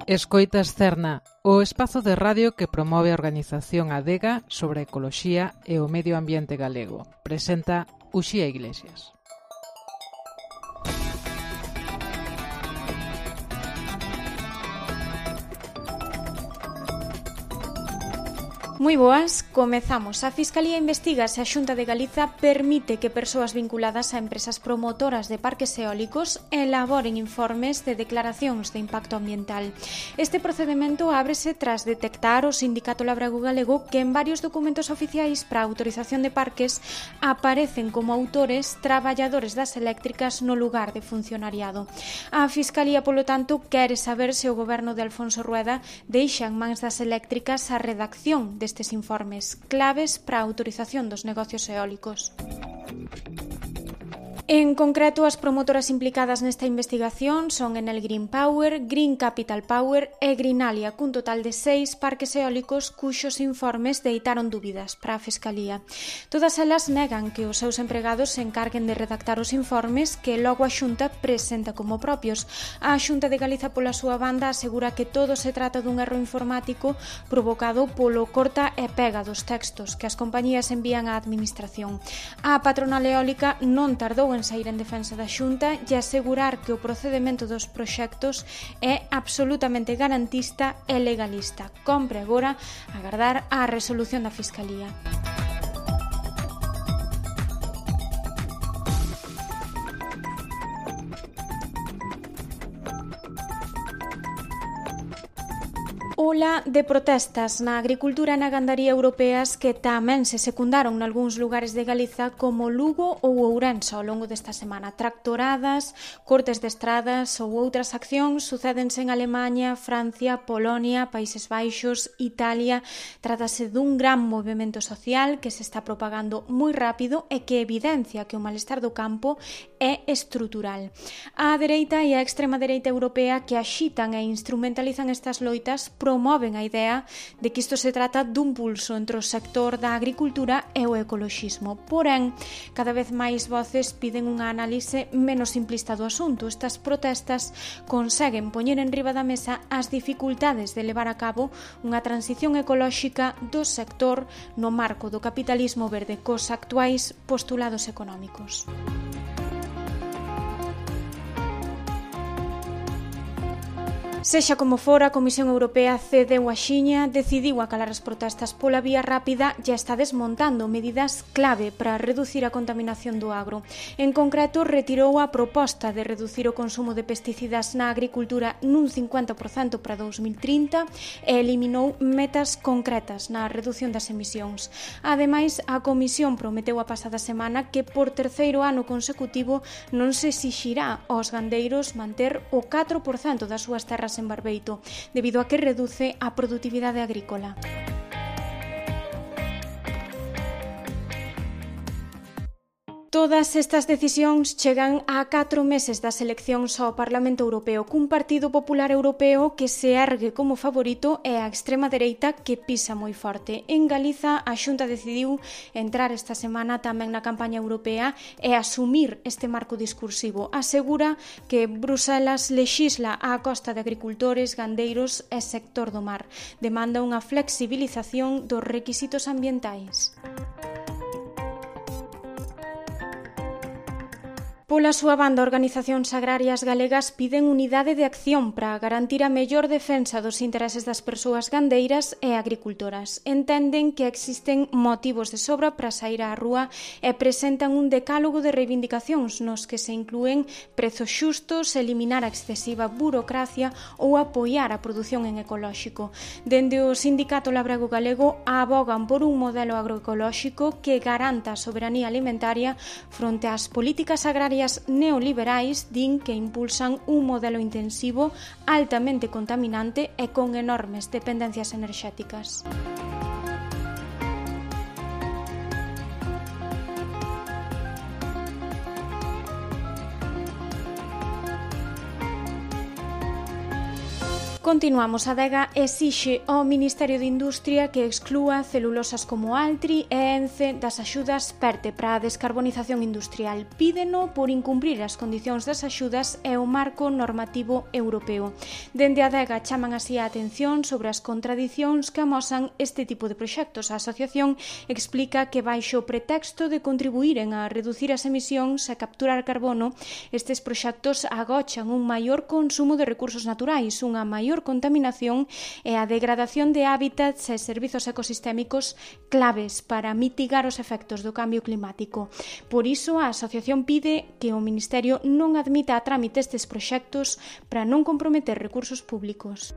Escoitas Cerna, o espazo de radio que promove a organización Adega sobre a ecoloxía e o medio ambiente galego. Presenta Uxía Iglesias. Moi boas, comezamos. A Fiscalía investiga se a Xunta de Galiza permite que persoas vinculadas a empresas promotoras de parques eólicos elaboren informes de declaracións de impacto ambiental. Este procedimento ábrese tras detectar o Sindicato Labrego Galego que en varios documentos oficiais para a autorización de parques aparecen como autores traballadores das eléctricas no lugar de funcionariado. A Fiscalía, polo tanto, quere saber se o goberno de Alfonso Rueda deixa en mans das eléctricas a redacción destes informes claves para a autorización dos negocios eólicos. En concreto, as promotoras implicadas nesta investigación son Enel Green Power, Green Capital Power e Greenalia, cun total de 6 parques eólicos cuxos informes deitaron dúbidas para a Fiscalía. Todas elas negan que os seus empregados se encarguen de redactar os informes que logo a Xunta presenta como propios. A Xunta de Galiza, pola súa banda, asegura que todo se trata dun erro informático provocado polo corta e pega dos textos que as compañías envían á Administración. A patronal eólica non tardou en sair en defensa da Xunta e asegurar que o procedemento dos proxectos é absolutamente garantista e legalista. Compre agora agardar a resolución da Fiscalía. Ola de protestas na agricultura e na gandaría europeas que tamén se secundaron nalgúns lugares de Galiza como Lugo ou Ourense ao longo desta semana. Tractoradas, cortes de estradas ou outras accións sucédense en Alemaña, Francia, Polonia, Países Baixos, Italia. Trátase dun gran movimento social que se está propagando moi rápido e que evidencia que o malestar do campo é estrutural. A dereita e a extrema dereita europea que axitan e instrumentalizan estas loitas promoven a idea de que isto se trata dun pulso entre o sector da agricultura e o ecoloxismo. Porén, cada vez máis voces piden unha análise menos simplista do asunto. Estas protestas conseguen poñer en riba da mesa as dificultades de levar a cabo unha transición ecolóxica do sector no marco do capitalismo verde cos actuais postulados económicos. Sexa como fora, a Comisión Europea cedeu a xiña, decidiu acalar as protestas pola vía rápida e está desmontando medidas clave para reducir a contaminación do agro. En concreto, retirou a proposta de reducir o consumo de pesticidas na agricultura nun 50% para 2030 e eliminou metas concretas na reducción das emisións. Ademais, a Comisión prometeu a pasada semana que por terceiro ano consecutivo non se exixirá aos gandeiros manter o 4% das súas terras en barbeito, debido a que reduce a produtividade agrícola. Todas estas decisións chegan a 4 meses das eleccións ao Parlamento Europeo, cun Partido Popular Europeo que se ergue como favorito e a extrema dereita que pisa moi forte. En Galiza, a Xunta decidiu entrar esta semana tamén na campaña europea e asumir este marco discursivo. Asegura que Bruselas lexisla á costa de agricultores, gandeiros e sector do mar. Demanda unha flexibilización dos requisitos ambientais. Pola súa banda, organizacións agrarias galegas piden unidade de acción para garantir a mellor defensa dos intereses das persoas gandeiras e agricultoras. Entenden que existen motivos de sobra para sair á rúa e presentan un decálogo de reivindicacións nos que se inclúen prezos xustos, eliminar a excesiva burocracia ou apoiar a produción en ecolóxico. Dende o Sindicato Labrego Galego abogan por un modelo agroecolóxico que garanta a soberanía alimentaria fronte ás políticas agrarias neoliberais, din que impulsan un modelo intensivo altamente contaminante e con enormes dependencias enerxéticas. Continuamos. A Adega exixe ao Ministerio de Industria que exclúa celulosas como Altri e Ence das axudas PERTE para a descarbonización industrial. Pídeno por incumprir as condicións das axudas e o marco normativo europeo. Dende a Adega chaman así a atención sobre as contradicións que amosan este tipo de proxectos. A asociación explica que baixo o pretexto de contribuíren a reducir as emisións e capturar carbono, estes proxectos agochan un maior consumo de recursos naturais, unha maior contaminación e a degradación de hábitats e servizos ecosistémicos claves para mitigar os efectos do cambio climático. Por iso, a asociación pide que o Ministerio non admita a trámite estes proxectos para non comprometer recursos públicos.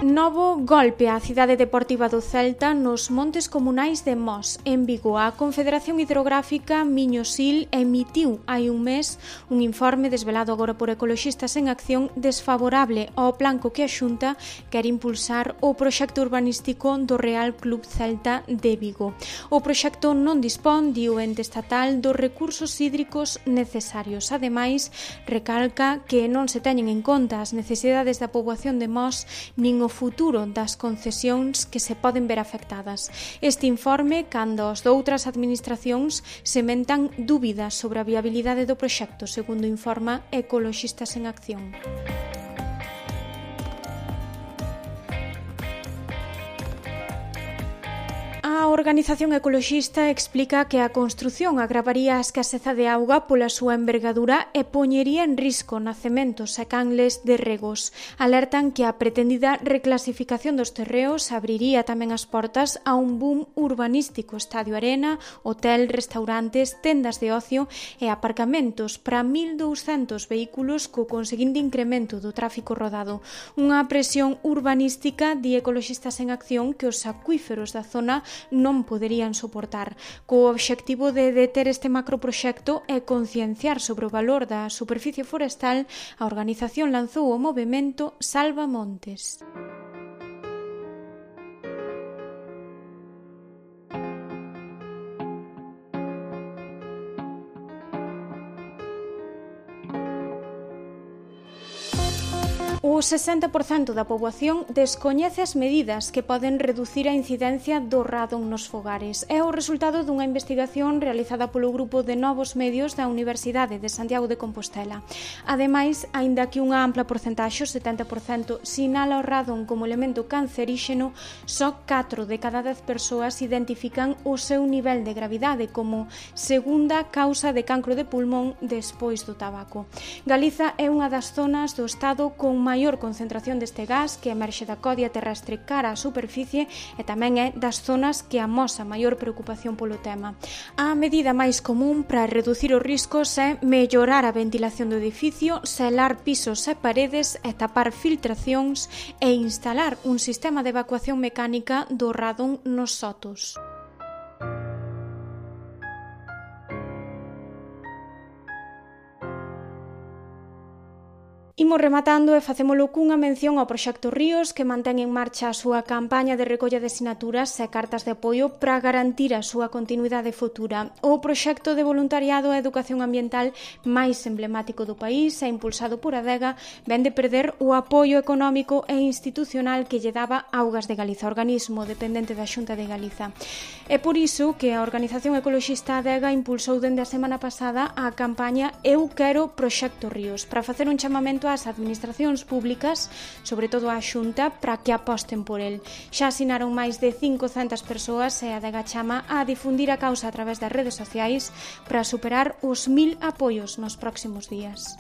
Novo golpe á cidade deportiva do Celta nos montes comunais de Mos, en Vigo. A Confederación Hidrográfica Miño-Sil emitiu hai un mes un informe desvelado agora por Ecoloxistas en Acción desfavorable ao plan co que a Xunta quer impulsar o proxecto urbanístico do Real Club Celta de Vigo. O proxecto non dispón, di o ente estatal, dos recursos hídricos necesarios. Ademais, recalca que non se teñen en conta as necesidades da poboación de Mos nin o futuro das concesións que se poden ver afectadas. Este informe, cando as doutras administracións sementan dúbidas sobre a viabilidade do proxecto, segundo informa Ecoloxistas en Acción. A organización ecoloxista explica que a construción agravaría a escaseza de auga pola súa envergadura e poñería en risco nacementos e canles de regos. Alertan que a pretendida reclasificación dos terreos abriría tamén as portas a un boom urbanístico, estadio arena, hotel, restaurantes, tendas de ocio e aparcamentos para 1.200 vehículos co conseguinte incremento do tráfico rodado. Unha presión urbanística, di Ecoloxistas en Acción, que os acuíferos da zona non poderían soportar. Co obxectivo de deter este macroproxecto e concienciar sobre o valor da superficie forestal, a organización lanzou o movemento Salva Montes. O 60% da poboación descoñece as medidas que poden reducir a incidencia do radon nos fogares. É o resultado dunha investigación realizada polo grupo de Novos Medios da Universidade de Santiago de Compostela. Ademais, aínda que unha ampla porcentaxe, o 70%, sinala o radon como elemento canceríxeno, só 4 de cada 10 persoas identifican o seu nivel de gravidade como segunda causa de cancro de pulmón despois do tabaco. Galiza é unha das zonas do estado con maior concentración deste gas que emerxe da codia terrestre cara á superficie e tamén é das zonas que amosa maior preocupación polo tema. A medida máis común para reducir os riscos é mellorar a ventilación do edificio, selar pisos e paredes e tapar filtracións e instalar un sistema de evacuación mecánica do radon nos sotos. Imos rematando e facémolo cunha mención ao Proxecto Ríos, que mantén en marcha a súa campaña de recolla de sinaturas e cartas de apoio para garantir a súa continuidade futura. O proxecto de voluntariado e educación ambiental máis emblemático do país e impulsado por Adega vén de perder o apoio económico e institucional que lle daba Augas de Galiza, organismo dependente da Xunta de Galiza. É por iso que a organización ecoloxista Adega impulsou dende a semana pasada a campaña Eu Quero Proxecto Ríos, para facer un chamamento ás administracións públicas, sobre todo á Xunta, para que aposten por el. Xa asinaron máis de 500 persoas e a Adega chama a difundir a causa a través das redes sociais para superar os 1000 apoios nos próximos días.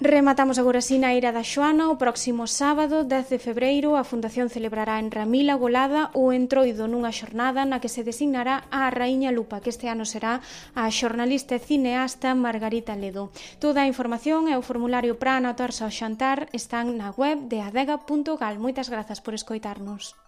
Rematamos agora así na Eira da Xoana. O próximo sábado, 10 de febreiro, a Fundación celebrará en Ramila Golada o entroido nunha xornada na que se designará a Raíña Lupa, que este ano será a xornalista e cineasta Margarita Ledo. Toda a información e o formulario para anotarse ao xantar están na web de adega.gal. Moitas grazas por escoitarnos.